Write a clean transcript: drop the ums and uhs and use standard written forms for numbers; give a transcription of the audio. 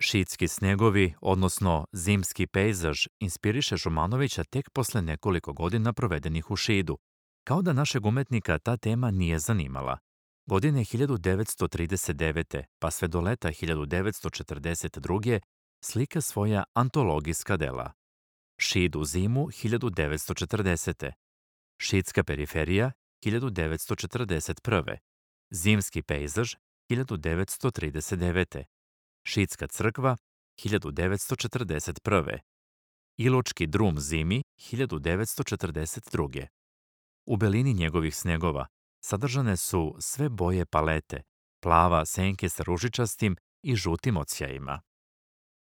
Šidski snegovi, odnosno zimski pejzaž, inspiriše Šumanovića tek posle nekoliko godina provedenih u Šidu, kao da našeg umetnika ta tema nije zanimala. Godine 1939. pa sve do leta 1942. slika svoja antologijska dela. Šid u zimu 1940. Šidska periferija 1941. Zimski pejzaž 1939. Šidska crkva 1941. Iločki drum zimi 1942. U belini njegovih snegova sadržane su sve boje palete, plava senke sa ružičastim i žutim odsjajima.